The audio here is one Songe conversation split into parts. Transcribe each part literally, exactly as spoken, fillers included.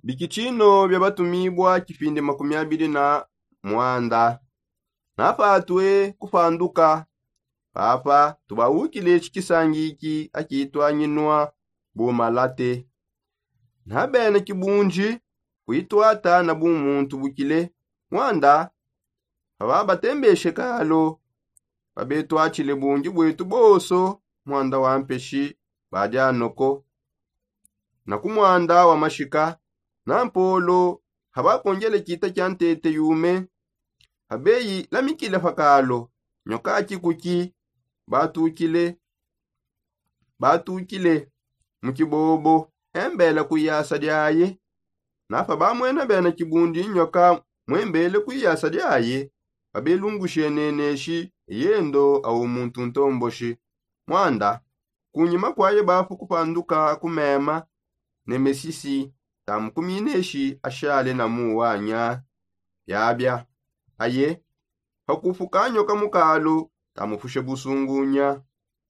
Bikitshino bia batumibua kipindi makumi abidi na muanda. Napatue kupanduka papa tubaukile tshikisangi iki akituanyinua bu malate. Nabena kibundi kuituata na bumuntu bukile muanda. Paba batembeshe kalo pabetuatshile bungi buetu bonso muanda wa mpeshi badianoko na ku muanda wa mashika. Na mpolo habakongele kita kia ntete yume. Habeyi lamikile pa kalo nyoka kikuki batukile batukile mu kibobo embela ku iyasa diaye. Napa bamwena bena kibundi nyoka mwembele ku iyasa diaye babelungushe neneshi eyendo au muntu ntomboshi. Muanda kunyima kuaye bapu kupanduka ku mema ne mesisi tamukumineshi ashale na muwanya. Biabia aye pakupuka nyoka mu kalo tamupushe busungunya.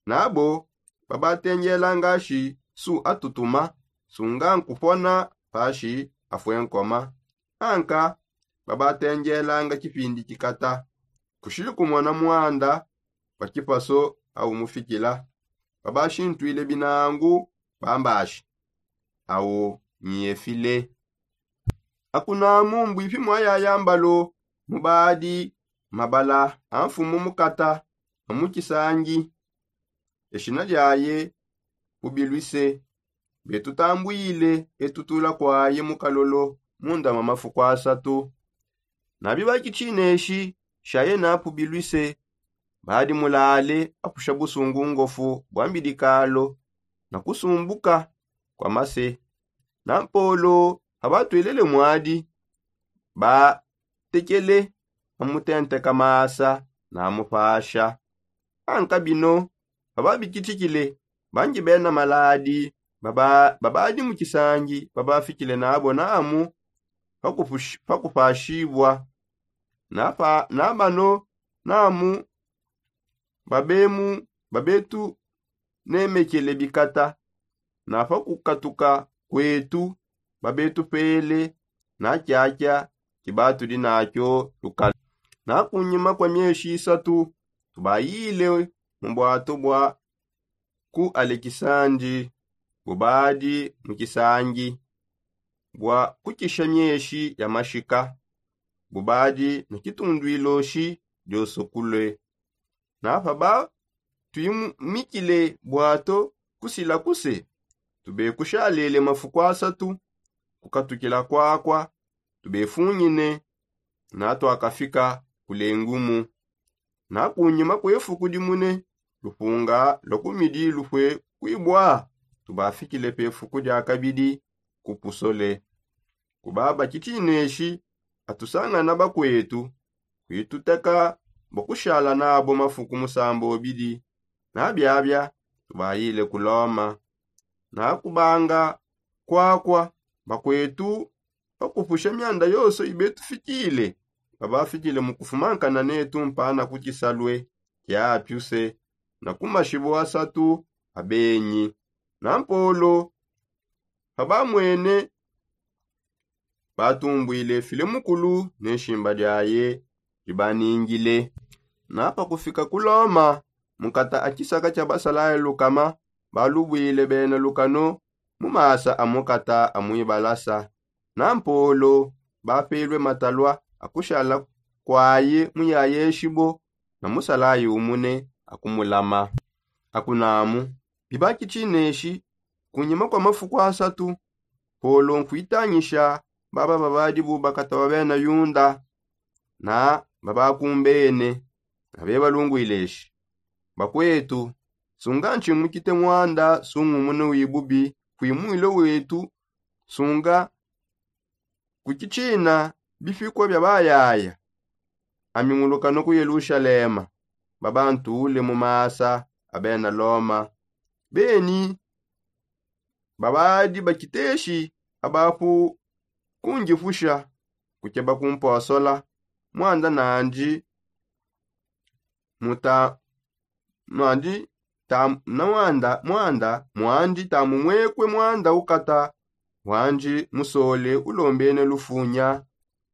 Nabo babatengelanga shi su atutuma sunga nkupona pashi afue nkoma. Anka babatengelanga kipindi kikata kushili kumona muanda pa kipaso au mufikila. Babashintwile binangu bambashi au nyefile. Akunamu mbuipi muayaya mbalo mubadi mabala a mfumu mukata a mu kisangi. Eshina diaye pubilwise. Betutambuile etutula kuaye mu kalolo munda ma mafuku asatu. Nabi bakitshineshi shaye napubilwise badi mulale apusha busungu ngofu bwa mbidikalo na kusumbuka kwa mase. Na mpolo abatwelele mwadi batekele amutenteka masa na amupasha. Anka bino bababikitshikile bangi bena maladi babadi mu kisangi babafikile nabo namu pakupashibua. Na bano namu babetunemekele bikata na pa kukatuka kwetu babetupele na kiakia kibatudi nakio lukala. Na kunyima kua mieshi isatu tubayile mu buato bua ku alekisandi bubadi mu kisangi bua kukisha mieshi ya mashika bubadi ne kitundwiloshi dioso kulue. Na paba tuimikile buato kusila kuse tubekushalele mafuku asatu kukatukila kuakua tubefungine. Na tuakafika kule ngumu. Na kunyima kue fuku dimune lupunga lua kumidi lupue kuibua tubafikile pe fuku dia kabidi ku pusole. Kubaba kitineshi atusangana bakuetu kuituteka bua kushala nabo mafuku musamba obidi. Na biabia tubayile ku loma. Na kubanga kuakua bakuetu bakupusha mianda yonso ibetufikile babafikile mu kufumankana netu mpana ku kisalue kia apiuse na ku mashibu asatu abenyi. Na mpolo pabamwene batumbwile file mukulu ne nshimba diaye dibaningile. Na pakufika ku loma mukata a kisaka kia basalaye lukama balubwile bena lukano mu masa a mukata a muibalasa. Na mpolo bapelue matalua a kushala kuaye muyayeshibo na musalaye umune a kumulama. Akunamu bibaki tshineshi kunyima kua mafuku asatu polo nkuitangisha baba babadi bu bakata ba bena yunda na babakumbene. Nabebalungwileshi bakuetu sunga ntshimukite muanda sungumune wibubi kuimwile wetu sunga kukitshina bipikua bia bayaya. Ami ngulukano ku yelushalema babantule mu masa a bena loma beni babadi bakiteshi abapu kungipusha kukeba kumposola muanda nandi muta muandi ta na muanda muanda muandi tamumwekue muanda ukata wandi musole ulombene lufunya.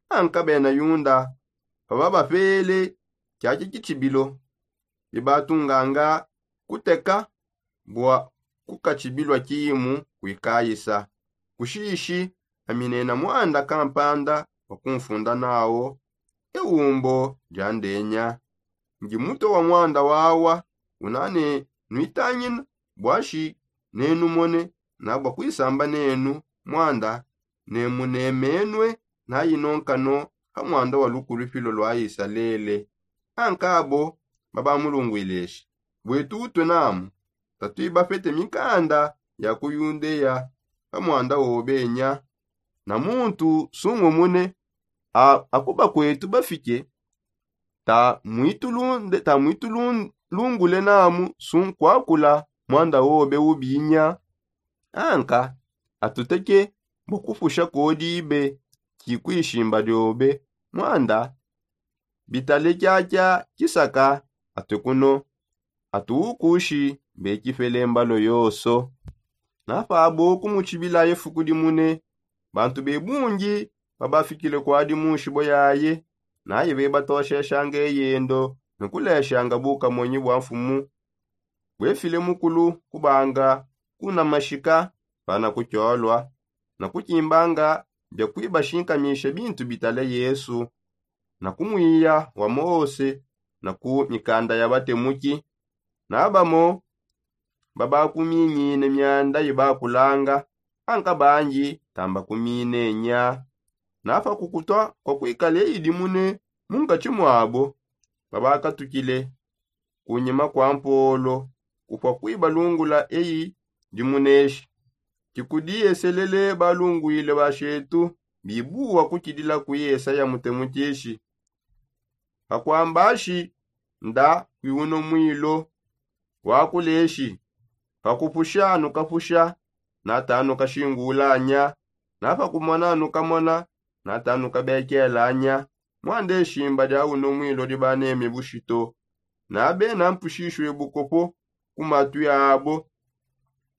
Anka bena yunda pababapele kiaki kitshibilo, bibatunganga kuteka bua kukatshibilua kimu kuikayisa. Kushishi aminena muanda kampanda wa kumfunda nawo eumbo dia ndenya. Ndi mutue wa muanda wawa una ne nuitangina buashi nenumone na bua kuisamba nenu muanda ne munemenue nayinonkano ha muanda wa lukulupilo lua isalele. Ankabo babamulunguileshi buetu utue namu tatuibapete mikanda ya ku yundeya pa muanda wobenya. Na muntu sungumune a- akubakuetu bafike ta muitulunde ta muitulungule namu sunkuakula muanda wobe ubinya. Anka atuteke bua kupusha kodibe ki kuishimba diobe muanda bitale kiakia kisaka atue kuno atuukushi mbekipele mbalo yonso. Napabo kumutshibila efuku dimune bantu be bungi babafikile kuadi mu nshibo yaye. Naye bebatosheshanga eyendo ne kuleshanga bukamonyi bua mfumu buefile mukulu kubanga kunamashika pana kutshiolua na kukimbanga bia kuibashinkamisha bintu bitale yesu na ku muiya wa mose na ku mikanda ya batemuki. Na bamo babakumingine mianda ibakulanga anka bangi tambakumine nya. Na pa kukutua kua kuikala idimune mu nkatshi muabo babakatukile kunyima kua mpolo kupua kuibalungula eyi dimuneshi. Kikudi eselele balunguile bashetu bibuwa kukidila ku yesaya mutemukishi pakuambashi nda kuiuno muilo wakuleshi. Pakupusha nukapusha nata nukashingulanya na pakumona nukamona nata nukabekelanya. Muanda eshimba dia uno muilo dibaneme bushito na bena mpushishue bukopo ku matui abo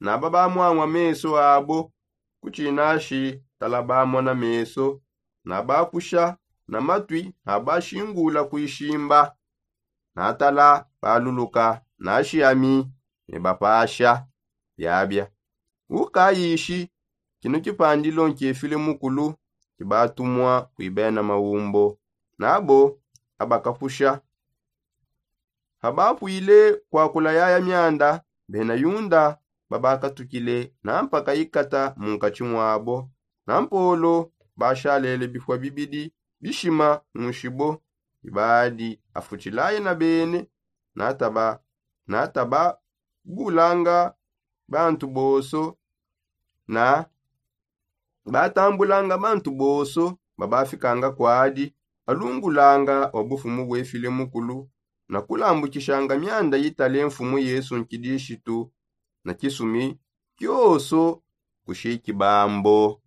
na babamuangua meso abo ku tshinashi tala bamona meso na bapusha na matui na bashingula ku ishimba na tala baluluka nashi ami ne bapasha biabia. Ukayishi kino kipandilo nkefile mukulu kibatumua kui bena maumbo nabo abakapusha. Pabapuile kuakula yaya mianda bena yunda babakatukile na mpaka ikata munkatshi muabo na mpolo bashalele bifua bibidi bishima mushibo bibadi afutshilaye na bene na taba na taba bulanga bantu bonso na batambulanga bantu bonso babafikanga kuadi balungulanga wa bufumu buefile mukulu na kulambukishanga mianda itale mfumu yesu nkidishitu na kisumi kioso kushiki bambo.